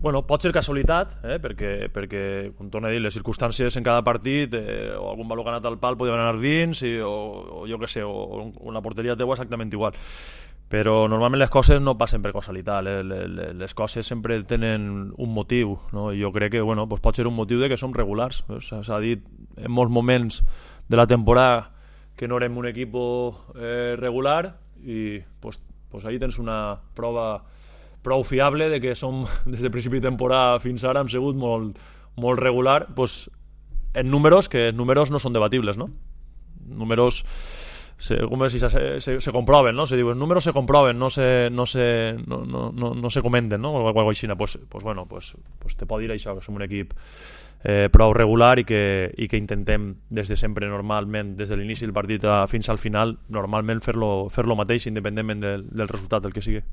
Bueno, pot ser casualitat, perquè, com torno a dir, les circumstàncies en cada partit, o algun valor que ha anat al pal podria anar dins, o jo què sé, o la porteria teua exactament igual. Però normalment les coses no passen per casualitat, les coses sempre tenen un motiu, no? I jo crec que bueno, pues pot ser un motiu de que som regulars. S'ha dit en molts moments de la temporada que no érem un equip regular i pues ahí tens una prova prou fiable de que som des de principi de temporada fins ara hem sigut molt regular, pues, en números que números no són debatibles, no? Números se comproven, no? Se diu, els números se comproven, no se comenten, no? O alguna cosa així. Pues bueno, pues te pot dir això, que som un equip prou regular i que intentem des de sempre, normalment, des de l'inici del partit fins al final, normalment fer-lo mateix, independentment del resultat del que sigui.